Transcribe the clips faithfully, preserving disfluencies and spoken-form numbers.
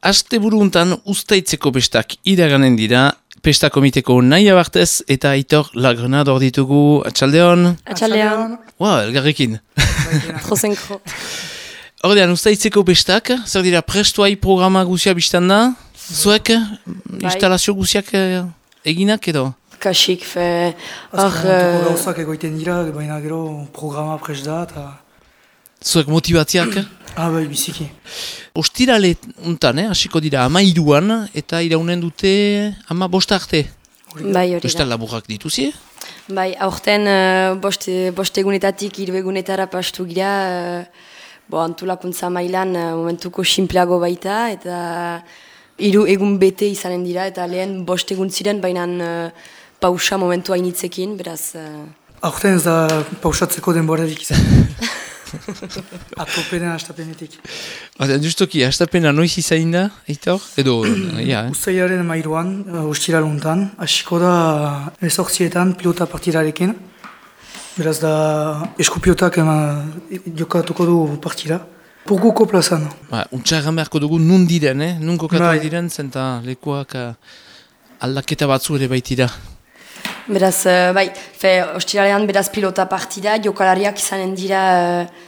Aste buruntan Uztaitzeko bestak iraganen dira, pesta komiteko nahi abartez eta Aitor Lagrenador ditugu. Atxaldeon? Atxaldeon. Wow, elgarrekin. Trozenkro. Ordean, Uztaitzeko bestak, zer dira prestuai programa guzia biztan da? Zuek, bai. instalazio guziak eginak edo? Kasik, fe... Azken, gauzak egoiten dira, baina gero programa prest da, eta... Zuek motibatziak? Ah, bai, biziki. Ostirale untan, eh, hasiko dira ama iruan, eta iraunen dute ama bosta arte. Bai, hori Euskal da. laburrak dituzi? Bai, aurten uh, bost, bost egunetatik hiru egunetara pastu gira, uh, bo, antolakuntza mailan uh, momentuko sinpleago baita, eta hiru egun bete izanen dira, eta lehen bost egun ziren, baina uh, pausa momentu hainitzekin, beraz... Uh... Aurten ez da pausatzeko denborarik izan. Atopenen astapenetik. Baina, justoki, astapena noiz izain da, Aitor? Edo, ja, eh? Uztailaren mairuan, uh, ostiraluntan, hasiko da ezortzietan pilota partirarekin. Beraz da eskupiotak ema jokatuko du partira. Purguko plazan. Ba, untxarran beharko dugu nun diren, eh? Nun kokatu Bai. diren, zenta lekuak uh, aldaketa batzu ere baitira. Beraz, uh, bai, fe, ostiralean beraz pilota partida, jokalariak izanen dira uh,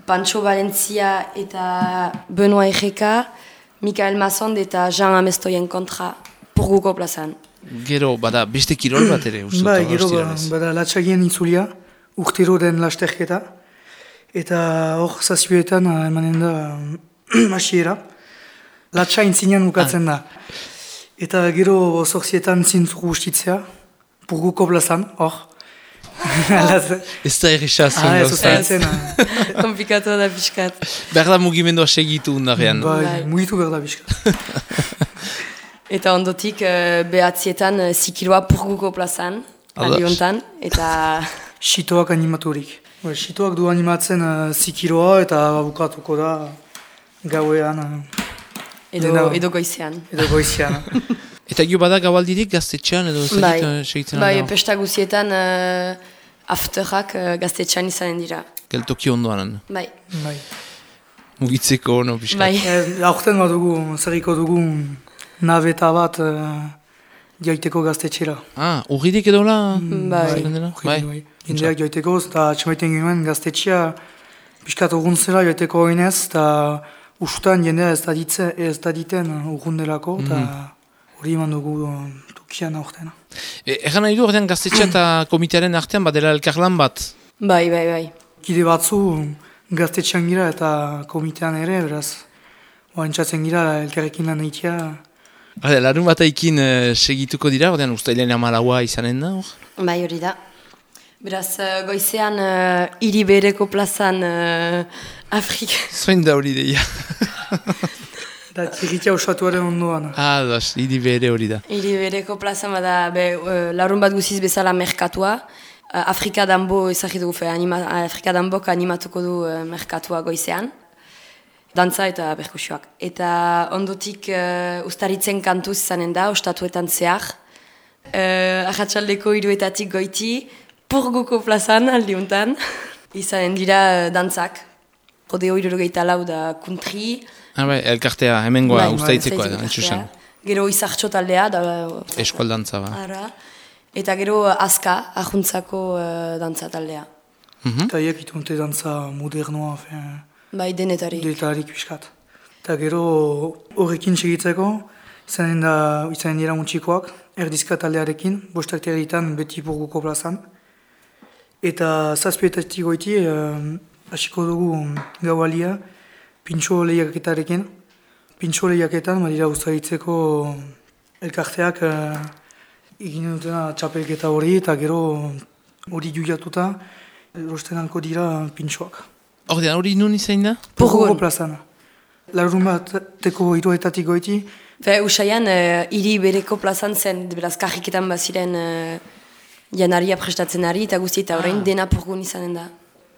Pancho Valencia eta Benoa Ejeka, Mikael Mazond eta Jean Amestoien kontra Purguko plazan. Gero, bada, beste kirol bat ere, uste Bai, dut, gero ba- ostiralez. bada latxagien itzulia, urtero den lasterketa. Eta hor zazpioetan uh, emanen da masiera. Latxa intzinean ukatzen da. Eta gero zortzietan zintzugu ustitzea. Purguko plazan, hor. Ez da errexazun Ah, ez gauza. uzaitzen. Komplikatu da pixkat. Behar da mugimendua segitu undarrean. Bai, Bai. mugitu behar da bizka. Eta ondotik uh, behatzietan uh, zikiroa Purguko plazan, Ados. aliontan, eta... Sitoak animaturik. Bai, Sitoak du animatzen uh, zikiroa eta bukatuko da gauean uh, Edo, Dena- edo goizean. edo goizian. Eta gio bada gabaldirik gaztetxean edo ez Bai, dakit, uh, segitzen bai alda? pesta guzietan uh, afterrak uh, gaztetxean izanen dira. Geltoki ondoan. Bai, Bai. Mugitzeko, no, pixka. bai. Eh, Aurten dugu, zerriko dugu nabeta bat uh, jaiteko gaztetxera. Ah, urridik edo la? Bai. Zeren dela? Bai. Bai. Jendeak joiteko, eta atxamaiten genuen gaztetxea pixkat urguntzera joiteko oinez, eta usutan jendea ez da ditze, ez da diten urgundelako, eta hori eman dugu uh, tukian aurten. E, Egan nahi du, ordean gaztetxea eta komitearen artean badela elkarlan bat. Bai, bai, bai. Kide batzu gaztetxean gira eta komitean ere, beraz, oantxatzen gira elkarrekin lan egitea. Hale, larun bat aikin uh, segituko dira, ordean ustailean amalaua izanen da, hor? Bai, hori da. Beraz, uh, goizean uh, hiri bereko plazan uh, Afrika. Zoin da hori deia. Eta txirritia osatuaren ondoan. Ah, das, hiri bere hori da. Hiri bereko plazan bada, be, uh, larun bat guziz bezala merkatua. Uh, Afrika Dambo ezagitu fe, anima, Afrika Dambok animatuko du uh, merkatua goizean. Dantza eta perkusioak. Eta ondotik uh, ustaritzen kantuz izanen da, ostatuetan zehar. Uh, Arratsaldeko hiruetatik goiti, Purguko plazan aldiuntan, izanen dira uh, dantzak. Rodeo hirurogeita lau da country. Ah, bai, elkartea, hemengoa, Bai, ustaitzekoa da, Uztaitzeko entzusen. elkartea. Gero izartxo taldea, da, Eskualdantza, ba. ara. Eta gero uh, Azka, ahuntzako uh, dantza taldea. Eta hiek itunte dantza modernoa, fe, Bai, denetari. detarik pixkat. Eta gero horrekin segitzeko, izanen, da, izanen dira muntxikoak, erdizka taldearekin, bostak territan beti Purguko plazan. Eta zazpietatik goiti, uh, hasiko dugu gaualia, pintxo lehiaketarekin. Pintxo lehiaketan, badira Uztaitzeko elkarteak uh, egin dutena txapelketa hori, eta gero hori juiatuta, erosten halko dira pintxoak. Ordean, hori nun izain da? Purguko Purgun. plazan. Larun bat teko hiruetatik goiti, Fe, usaian, uh, hiri bereko plazan zen, beraz, kajiketan baziren uh, janaria prestatzen ari, eta guzti eta orain dena Purgun izanen da.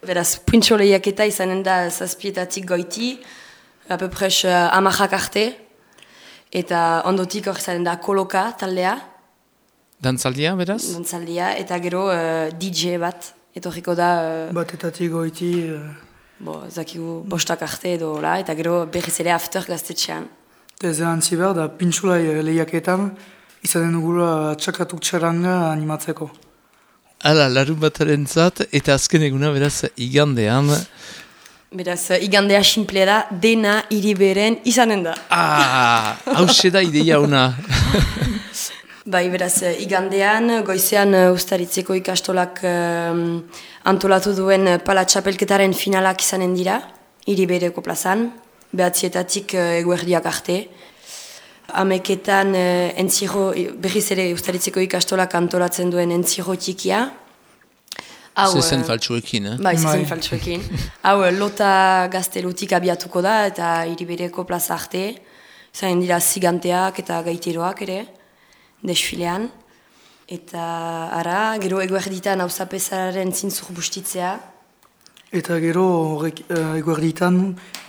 Beraz, pintxo lehiaketa izanen da zazpietatik goiti, apepres uh, amajak arte, eta ondotik hor izanen da koloka taldea, Dantzaldia, beraz? dantzaldia, eta gero uh, D J bat, etorriko da, uh, batetatik goiti, uh, bo, zakigu bostak arte edo, la, eta gero berriz ere after gaztetxean. Eta ez da antzi behar, da pintxulai lehiaketan, izaten dugula txakatuk txaranga animatzeko. Hala, larun bataren zat, eta azken eguna beraz igandean. Beraz, igandea simple da, dena hiriberen izanen da. Ah, hause da ideia ona. Bai, beraz, igandean, goizean ustaritzeko ikastolak um, antolatu duen pala txapelketaren finalak izanen dira, hiribereko plazan, behatzietatik uh, eguerdiak arte. Ameketan uh, entziro, berriz ere ustaritzeko ikastolak antolatzen duen entziro txikia. Zezen faltsuekin, eh? Bai, zezen faltsuekin. Hau, lota gaztelutik abiatuko da, eta hiribereko plaza arte. Zain dira ziganteak eta gaiteroak ere, desfilean. Eta ara, gero eguerditan hauzapezaren zintzur bustitzea. Eta gero horrek uh, eguerditan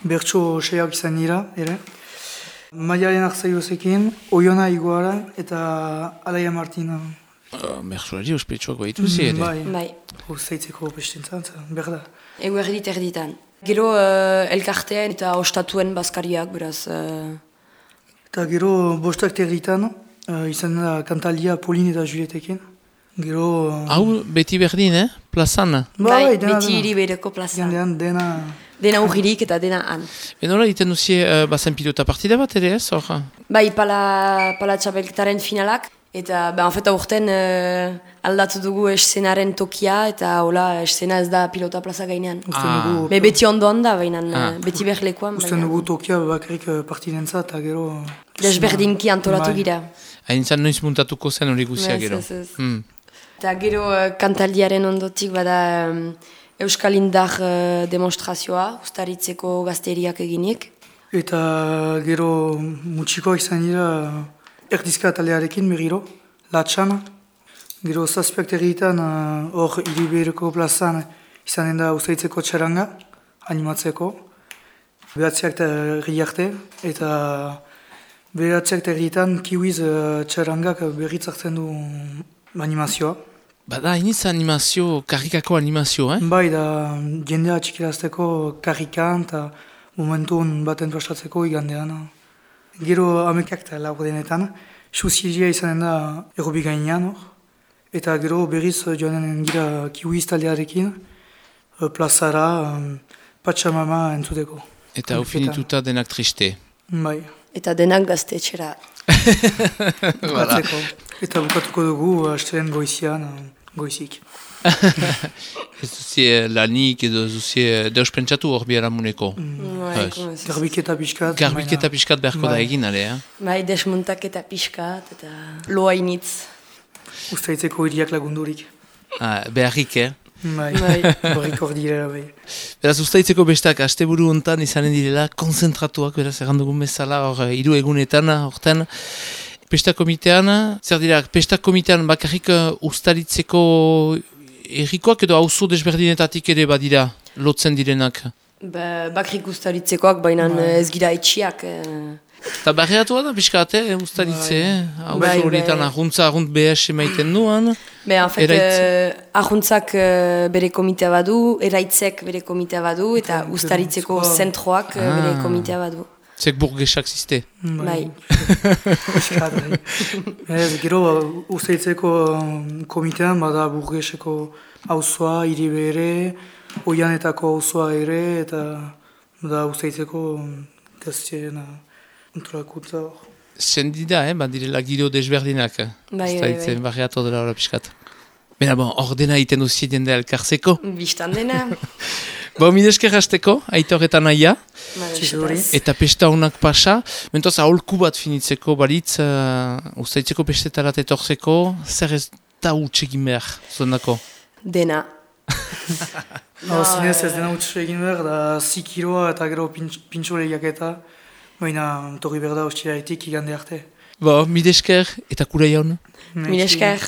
bertso seak izan dira, ere. Maialen Arzaiozekin, Oiona Iguara eta Alaia Martina. Uh, Bertsuari ospetsuak behituzi ere. Bai, Bai. Hozaitzeko bestintzan, berda. Eguerdit erditan. Gero uh, elkartean eta ostatuen bazkariak, beraz. Uh... Eta gero bostak terditan, uh, izan da kantalia Pauline eta Julietekin. Gero... Uh, Hau beti berdin, eh? Plazan. Bai, dena, beti dena. hiribereko plaza. Gandean dena... Dena urririk eta dena han. Benola, iten duzie uh, bazen pilota partida bat ere ez, hor? Bai, pala, pala txapelketaren finalak. Eta, ba, en fet, aurten uh, aldatu dugu eszenaren tokia, eta hola, eszena ez da pilota plaza gainean. Ah. Be, beti ondoan da, baina Ah. beti berlekoan. Usten dugu tokia bakarrik partidentza eta gero... Desberdinki antolatu Bai. gira. Hain zan noiz muntatuko zen hori guzia Ez, gero. ez, ez. Hmm. Eta gero uh, kantaldiaren ondotik bada um, Euskal Indar uh, demonstrazioa, ustaritzeko gazteriak eginik. Eta gero mutxiko izan dira erdizka talearekin berriro, latxan. Gero zazpiak terrietan hor uh, hiribereko plazan izanen da ustaritzeko txaranga, animatzeko. Behatziak terri arte, eta behatziak terrietan kiwiz uh, txarangak berritzartzen du animazioa. Bada, iniz animazio, karrikako animazio, eh? Bai, da jendea txikirazteko karrikan eta momentun baten prestatzeko igandean. Gero amekak eta laur denetan, suzilia izanen da errobi gainean hor. Eta gero berriz joanen gira kiwiz taldearekin, plazara, Patxamama entzuteko. Eta hau finituta denak triste. Bai, Eta denak gaztetxera. bukatzeko. Eta bukatuko dugu, astelen goizian, goizik. Ez duzie lanik edo ez duzie deus pentsatu hor biharamuneko. Bai, Ez. ez. Garbiketa pixkat. Garbiketa pixkat beharko da Bai. egin, ale, eh? Bai, desmontaketa pixkat eta loainitz. Ustaitzeko hiriak lagundurik. Ah, beharrik, eh? Bai, Bai. horrik hor direla, bai. Beraz, ustaitzeko bestak asteburu hontan izanen direla, konzentratuak, beraz, errandugun bezala, hor, hiru egunetan, horten. Pesta komitean, zer dira, pesta komitean bakarrik uh, ustaritzeko errikoak edo auzo desberdinetatik ere badira, lotzen direnak. Ba, bakrik ustaritzekoak, baina ez gira etxiak. Eh. Eta barreatu da, pixkate, eh, ustaritze, eh? Auzo Bai, horietan bai. ahuntza, ahunt B S emaiten duan. Be, en fait, Eraitz. eh, ahuntzak eh, bere komitea badu, eraitzek bere komitea badu, eta Eta ustaritzeko zentroa. zentroak eh, bere Ah. komitea badu. Zek burgesak ziste. Bai. Pixkat, bai. Ez, gero, ustaitzeko um, komitean, bada burgeseko auzoa, hiribere, oianetako auzoa ere, eta bada ustaitzeko um, gaztien antolakuntza hor. Zendida, eh, badirela giro desberdinak. bai, Ustaritzen, bai. barreatu dela hori pixkat. Bena, bon, ordena iten duzi jende elkarzeko. Bistan dena. Bo, midesker hasteko, Aitor eta Naia. Ba, Txisuri. espaz. Eta pesta honak pasa, mentoz aholku bat finitzeko baritz, uh, ustaitzeko pestetarat etorzeko, zer ez da utxegin behar, zondako? Dena. No, zinez ez dena utxe egin behar, da zikiroa eta gero pintxo lehiak eta, baina torri behar da ostiraetik igande arte. Bo, midesker eta kura jaun. Mil esker.